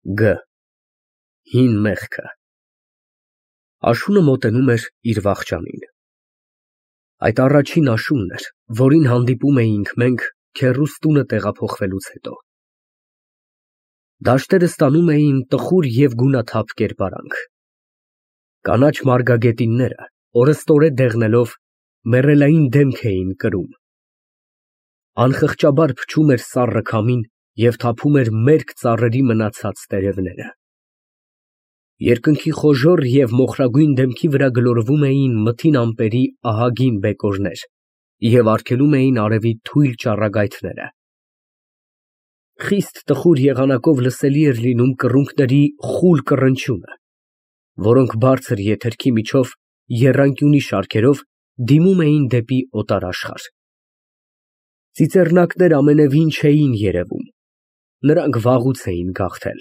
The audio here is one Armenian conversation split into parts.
Գ. Հին մեղքը։ Աշունը մոտենում էր իր վախճանին։ Այդ առաջին աշունն էր, որին հանդիպում էինք մենք քեռուս տունը տեղափոխվելուց հետո։ Դաշտերը ստանում էին տխուր և գունաթափ կերպարանք։ Կանաչ մարգագետինները, օրըստօրե դեղնելով, մեռելային դեմք էին կրում։ Անխղճաբար փչում էր սառը քամին և թափում էր մերկ ծառերի մնացած տերևները։ Երկնքի խոժոռ և մոխրագույն դեմքի վրա գլորվում էին մթին ամպերի ահագին բեկորներ և արգելում էին արևի թույլ ճառագայթները։ Խիստ տխուր եղանակով լսելի էր լինում կռունկների խուլ կռնչյունը, որոնք բարձր եթերքի միջով եռանկյունի շարքերով դիմում էին դեպի օտար աշխարհ։ Ծիծեռնակներ ամենևին չէին երևում, նրանք վաղուց էին գաղթել։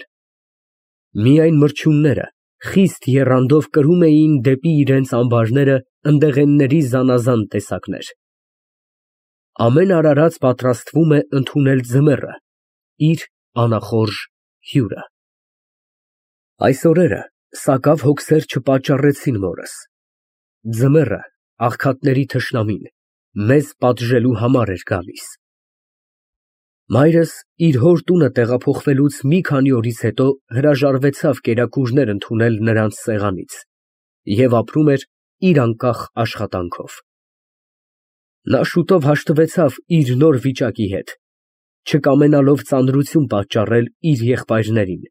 Միայն մրջյունները խիստ եռանդով կրում էին դեպի իրենց ամբարները ընդեղենների զանազան տեսակներ։ Ամեն արարած պատրաստվում է ընդունել ձմեռը, իր անախորժ հյուրը։ Այս օրերը սակավ հոգսեր չպատճառեցին մորս։ Ձմեռը, աղքատների թշնամին, մեզ պատժելու համար էր գալիս։ Մայրս իր հոր տունը տեղափոխվելուց մի քանի օրից հետո հրաժարվեցավ կերակուրներ ընդունել նրանց սեղանից և ապրում էր իր անկախ աշխատանքով։ Նա շուտով հաշտվեցավ իր նոր վիճակի հետ, չկամենալով ծանրություն պատճառել իր եղբայրներին,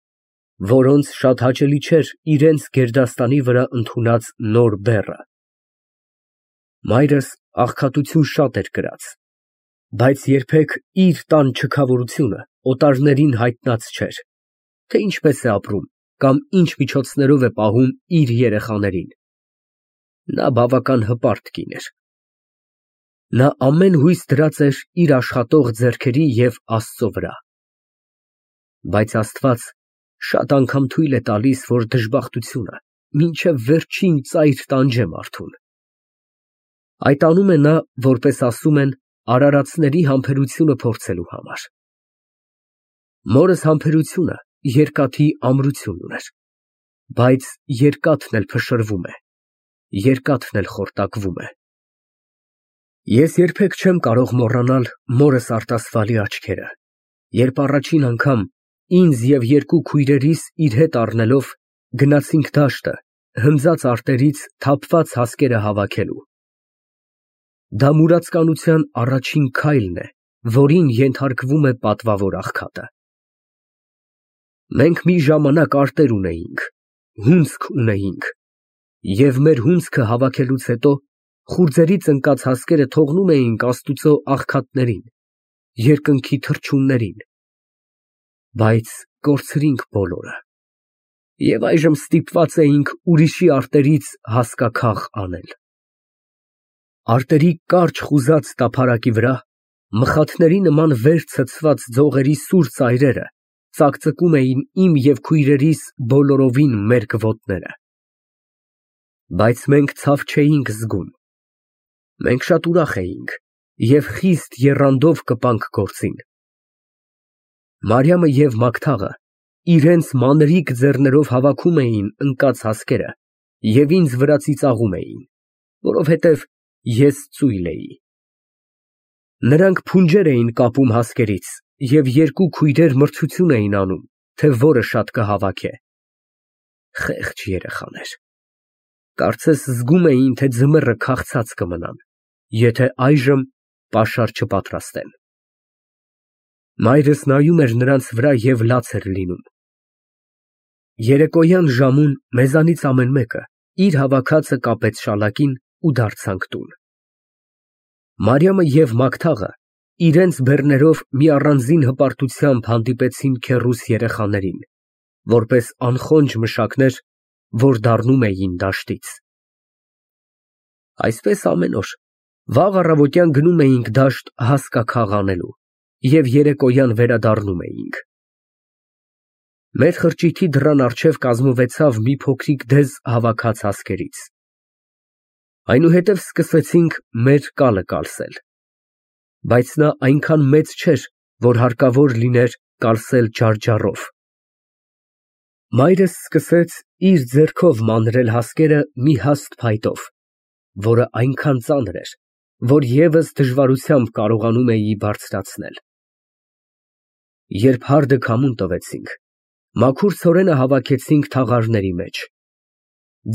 որոնց շատ հաճելի չէր իրենց գերդաստանի վրա ընդունած նոր բեռը։ Մայրս աղքատություն շատ էր կրած, բայց երբեք իր տան չքավորությունը օտարներին հայտնած չէր, թե ինչպես է ապրում կամ ինչ միջոցներով է պահում իր երեխաներին։ Նա բավական հպարտ կին էր։ Նա ամեն հույս դրած էր իր աշխատող ձեռքերի և Աստծո վրա։ Բայց Աստված շատ անգամ թույլ է տալիս, որ դժբախտությունը մինչև վերջին ծայր տանջե մարդուն։ Այդ անում է նա, որպես ասում են, արարածների համբերությունը փորձելու համար։ Մորս համբերությունը երկաթի ամրություն ուներ, բայց երկաթն էլ փշրվում է, երկաթն էլ խորտակվում է։ Ես երբեք չեմ կարող մոռանալ մորս արտասվալի աչքերը, երբ առաջին անգամ ինձ և երկու քույրերիս իր հետ առնելով գնացինք դաշտը հնձած արտերից թափված հասկերը հավաքելու։ Դա մուրացկանության առաջին քայլն է, որին ենթարկվում է պատվավոր աղքատը։ Մենք մի ժամանակ արտեր ունեինք, հունձք ունեինք, և մեր հունձքը հավաքելուց հետո խուրձերից ընկած հասկերը թողնում էինք Աստուծո աղքատներին, երկնքի թռչուններին, բայց կորցրինք բոլորը, և այժմ ստիպված էինք ուրիշի արտերից հասկաքաղ անել։ Արտերի կարճ խուզած տափարակի վրա մխաթների նման վեր ցցված ձողերի սուր ծայրերը ծակծկում էին իմ և քույրերիս բոլորովին մերկ ոտները։ Բայց մենք ցավ չէինք զգում։ Մենք շատ ուրախ էինք և խիստ եռանդով կպանք գործին։ Մարիամը և Մագդաղը իրենց մանրիկ ձեռներով հավաքում էին ընկած հասկերը և ինձ վրա ծիծաղում էին, որովհետև ես ծույլ էի։ Նրանք փունջեր էին կապում հասկերից և երկու քույրեր մրցություն էին անում, թե որը շատ կհավաքե։ Խեղճ երեխաներ, կարծես զգում էին, թե ձմեռը քաղցած կմնան, եթե այժմ պաշար չպատրաստեն։ Մայրս նայում էր նրանց վրա և լաց էր լինում։ Երեկոյան ժամուն մեզանից ամեն մեկը իր հավաքածը կապեց շալակին ու դարձանք տուն։ Մարիամը և Մագդաղը իրենց բեռներով մի առանձին հպարտությամբ հանդիպեցին քեռուս երեխաներին, որպես անխոնջ մշակներ, որ դառնում էին դաշտից։ Այսպես ամեն օր, վաղ առավոտյան գնում էինք դաշտ հասկաքաղ անելու և երեկոյան վերադառնում էինք։ Մեր խրճիթի դռան առջև կազմվեցավ մի փոքրիկ դեզ հավաքած հասկերից։ Այնուհետև սկսվեցինք մեր կալը կալսել, բայց նա այնքան մեծ չէր, որ հարկավոր լիներ կալսել ջարդջառով։ Մայրս սկսեց իր ձեռքով մանրել հասկերը մի հաստ փայտով, որը այնքան ծանր էր, որ ես դժվարությամբ կարողանում էի բարձրացնել։ Երբ հարդը քամուն տվեցինք, մաքուր ցորենը հավաքեցինք թաղարների մեջ։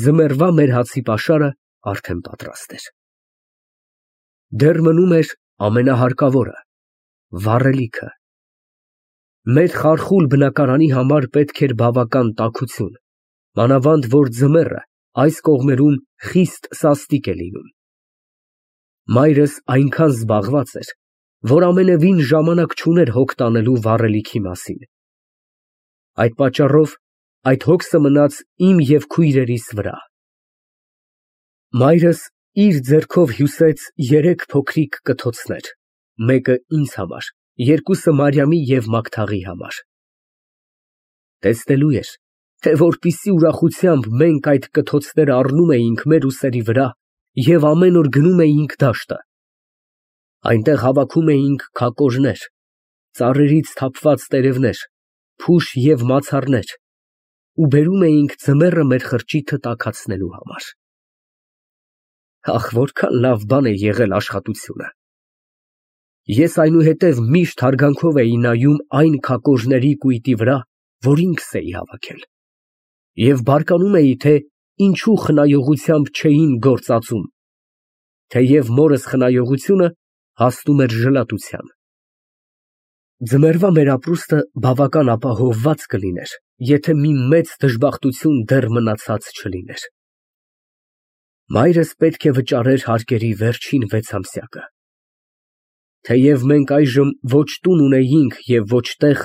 Ձմեռվա մեր հացի պաշարը արդեն պատրաստ էր։ Դեռ մնում էր ամենահարկավորը՝ վառելիքը։ Մեր խարխուլ բնակարանի համար պետք էր բավական տաքություն, մանավանդ որ ձմեռը այս կողմերում խիստ սաստիկ է լինում։ Մայրս այնքան զբաղված էր, որ ամենևին ժամանակ չուներ հոգ տանելու վառելիքի մասին։ Այդ պատճառով այդ հոգսը մնաց իմ և քույրերիս վրա։ Մայրս իր ձեռքով հյուսեց 3 փոքրիկ կթոցներ, մեկը ինձ համար, երկուսը Մարիամի և Մագդաղի համար։ Տեսնելու էր, թե որպիսի ուրախությամբ մենք այդ կթոցները առնում էինք մեր ուսերի վրա և ամեն օր գնում էինք դաշտը։ Այնտեղ հավաքում էինք քակորներ, ծառերից թափված տերևներ, փուշ և մացառներ ու բերում էինք ձմեռը մեր խրճիթը տաքացնելու համար։ Ախ, որքան լավ բան է եղել աշխատությունը։ Ես այնուհետև միշտ հարգանքով էի նայում այն քակոժների կույտի վրա, որ ինքս էի հավաքել, և բարկանում էի, թե ինչու խնայողությամբ չէին գործածում, թեև մորս խնայողությունը հասնում էր ժլատության։ Ձմեռվա մեր ապրուստը բավական ապահովված կլիներ, եթե մի մեծ դժբախտություն դեռ մնացած չլիներ։ Մայրս պետք է վճարեր հարկերի վերջին 6 ամսյակը։ Թեև մենք այժմ ոչ տուն ունեինք և ոչ տեղ,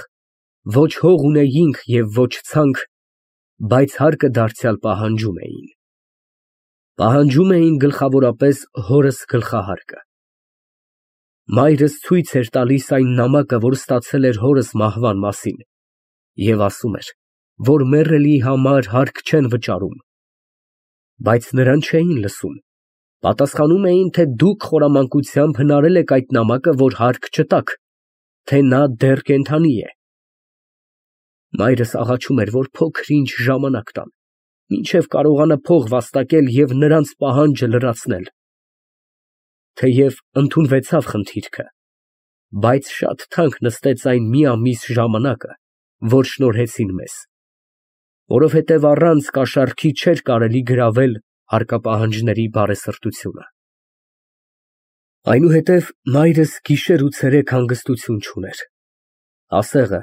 ոչ հող ունեինք և ոչ ցանք, բայց հարկը դարձյալ պահանջում էին։ Պահանջում էին գլխավորապես հորս գլխահարկը։ Մայրս ցույց էր տալիս այն նամակը, որ ստացել էր հորս մահվան մասին, և ասում էր, որ մեռելի համար հարկ չեն վճարում, բայց նրան չէին լսում, պատասխանում էին, թե դուք խորամանկությամբ հնարել եք այդ նամակը, որ հարկ չտաք, թե նա դեռ կենդանի է։ Մայրս աղաչում էր, որ փոքր-ինչ ժամանակ տան, մինչև կարողանա փող վաստակել և նրանց պահանջը լրացնել։ Թեև ընդունվեցավ խնդիրքը, բայց շատ թանկ նստեց այն մի ամիս ժամանակը, որ շնորհեցին մեզ, որովհետև առանց կաշառքի չէր կարելի գրավել հարկապահանջների բարեսրտությունը։ Այնուհետև մայրս գիշեր ու ցերեկ հանգստություն չուներ։ Ասեղը,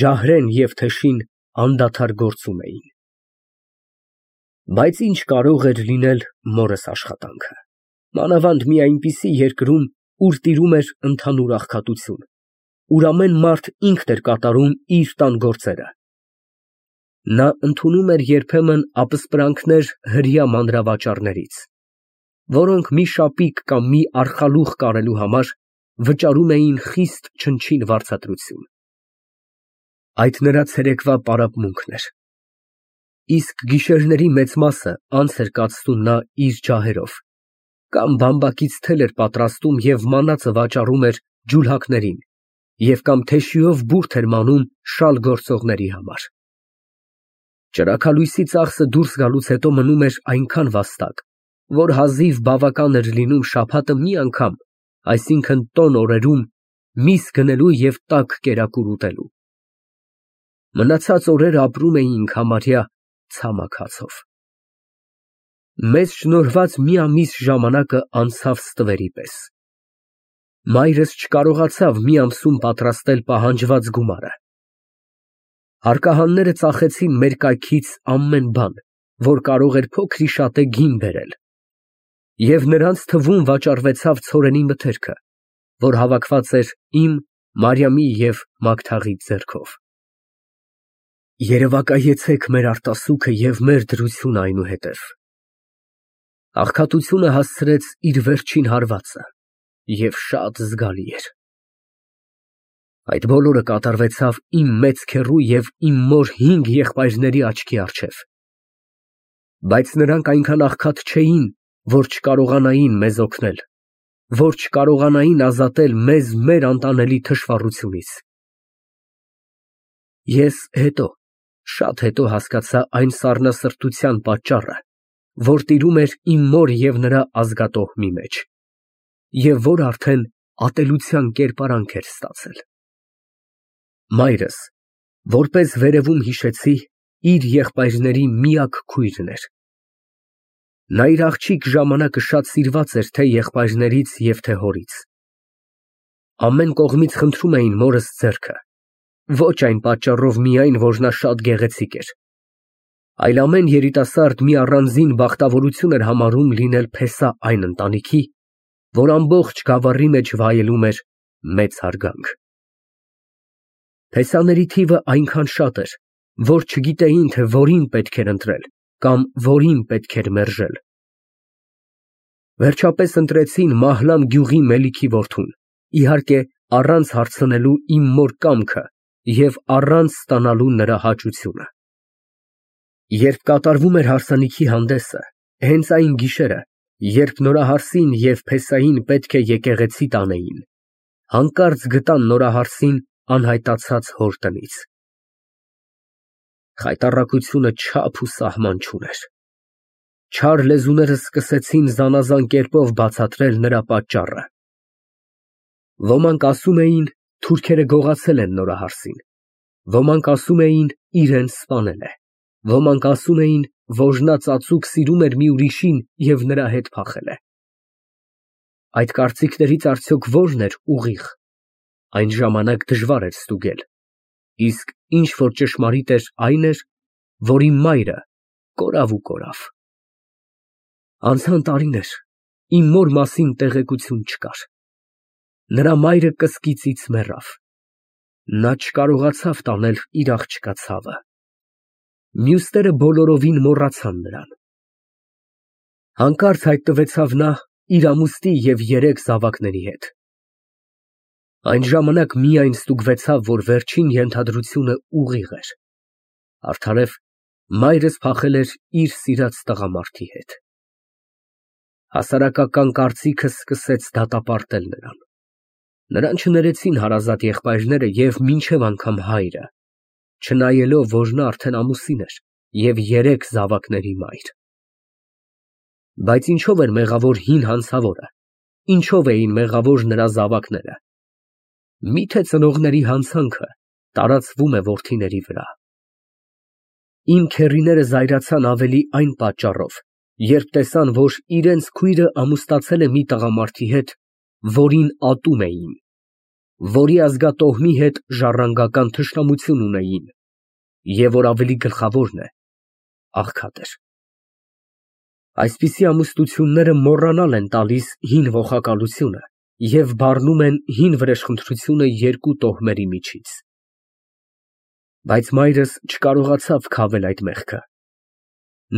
ջահրեն և թեշին անդադար գործում էին։ Բայց ինչ կարող էր լինել մորս աշխատանքը, մանավանդ մի այնպիսի երկրում, ուր տիրում էր ընդհանուր աղքատություն, ուր ամեն մարդ ինքն էր կատարում իր տան գործերը։ Նա ընդունում էր երբեմն ապսպրանքներ հրեա մանրավաճառներից, որոնք մի շապիկ կամ մի արխալուղ կարելու համար վճարում էին խիստ չնչին վարձատրություն։ Այդ նրա ցերեկվա պարապմունքն էր։ Իսկ գիշերների մեծ մասը անց էր կացնում նա իր ջահերով, կամ բամբակից թել էր պատրաստում և մանածը վաճառում էր ջուլհակներին և կամ թեշիով բուրդ էր մանում շալ գործողների համար։ Ճրագալույսի ծախսը դուրս գալուց հետո մնում էր այնքան վաստակ, որ հազիվ բավական էր լինում շաբաթը մի անգամ, այսինքն տոն օրերում, միս գնելու և տաք կերակուր ուտելու։ Մնացած օրերը ապրում էինք համարյա ցամաք հացով։ Մեզ շնորհված մի ամիս ժամանակը անցավ ստվերի պես։ Մայրս չկարողացավ մի ամսում պատրաստել պահանջված գումարը։ Հարկահանները ծախեցին մեր կայքից ամեն բան, որ կարող էր փոքր-ի-շատե գին բերել, և նրանց թվում վաճառվեցավ ցորենի մթերքը, որ հավաքված էր իմ, Մարիամի և Մագդաղի ձեռքով։ Երևակայեցեք մեր արտասուքը և մեր դրությունը այնուհետև։ Աղքատությունը հասցրեց իր վերջին հարվածը և շատ զգալի էր։ Այդ բոլորը կատարվեցավ իմ մեծ քեռու և իմ մոր 5 եղբայրների աչքի առջև, բայց նրանք այնքան աղքատ չէին, որ չկարողանային մեզ օգնել, որ չկարողանային ազատել մեզ մեր անտանելի թշվառությունից։ Ես հետո, Շատ հետո հասկացա այն սառնասրտության պատճառը, որ տիրում էր իմ մոր և նրա ազգատոհմի մեջ, և որ արդեն ատելության կերպարանք էր ստացել։ Մայրս, որպես վերևում հիշեցի, իր եղբայրների միակ քույրն էր։ Նա իր աղջիկ ժամանակը շատ սիրված էր թե եղբայրներից և թե հորից։ Ամեն կողմից խնդրում էին մորս ձեռքը, ոչ այն պատճառով միայն, որ նա շատ գեղեցիկ էր, այլ ամեն երիտասարդ մի առանձին բախտավորություն էր համարում լինել փեսա այն ընտանիքի, որ ամբողջ գավառի մեջ վայելում էր մեծ հարգանք։ Փեսաների թիվը այնքան շատ էր, որ չգիտեին, թե որին պետք էր ընտրել կամ որին պետք էր մերժել։ Վերջապես ընտրեցին Մահլան գյուղի Մելիքի որդուն, իհարկե, առանց հարցնելու իմ մոր կամքը և առանց ստանալու նրա հաճությունը։ Երբ կատարվում էր հարսանիքի հանդեսը, հենց այն գիշերը, երբ նորահարսին և փեսային պետք է եկեղեցի տանեին, հանկարծ գտան նորահարսին անհայտացած հոր տնից։ Խայտառակությունը չափ ու սահման չուներ։ Չար լեզուները սկսեցին զանազան կերպով բացատրել նրա պատճառը։ Ոմանք ասում էին թուրքերը գողացել են նորահարսին, ոմանք ասում էին իրան սպանել է, ոմանք ասում էին, որ նա ծածուկ սիրում էր մի ուրիշին և նրա հետ փախել է։ Այդ կարծիքներից արդյոք ո՞րն էր ուղիղ, այն ժամանակ դժվար էր ստուգել, իսկ ինչ որ ճշմարիտ էր, այն էր, որ իմ մայրը կորավ ու կորավ։ Անցան տարիներ, իմ մոր մասին տեղեկություն չկար։ Նրա մայրը կսկիծից մեռավ։ Նա չկարողացավ տանել իր աղջկա ցավը։ Մյուսները բոլորովին մոռացան նրան։ Հանկարծ հայտնվեցավ նա իր ամուսնի և 3 զավակների հետ։ Այն ժամանակ միայն ստուգվեցավ, որ վերջին ենթադրությունը ուղիղ էր, արդարև մայրս փախել էր իր սիրած տղամարդի հետ։ Հասարակական կարծիքը սկսեց դատապարտել նրան։ Նրան չներեցին հարազատ եղբայրները և մինչև անգամ հայրը, չնայելով, որ նա արդեն ամուսին էր և 3 զավակների մայր։ Բայց ինչո՞վ էր մեղավոր հին հանցավորը, ինչո՞վ էին մեղավոր նրա զավակները։ Միթե ծնողների հանցանքը տարածվում է որդիների վրա։ Իմ քեռիները զայրացան ավելի այն պատճառով, երբ տեսան, որ իրենց քույրը ամուսնացել է մի տղամարդի հետ, որին ատում էին, որի ազգատոհմի հետ ժառանգական թշնամություն ունեին, և որ ավելի գլխավորն է, աղքատ էր։ Այսպիսի ամուսնությունները մոռանալ են տալիս հին ողակալությունը և բառնում են հին վրեժխնդրությունը 2 տոհմերի միջից։ Բայց մայրս չկարողացավ քավել այդ մեղքը։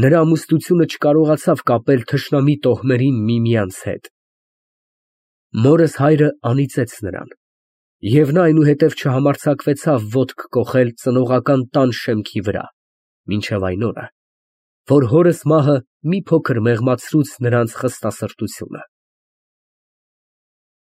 Նրա ամուսնությունը չկարողացավ կապել թշնամի տոհմերին միմյանց հետ։ Մորս հայրը անիծեց նրան, և նա այնուհետև չհամարձակվեցավ ոտք կոխել ծնողական տան շեմքի վրա, մինչև այն օրը, որ հորս մահը մի փոքր մեղմացրուց նրանց խստասրտությունը։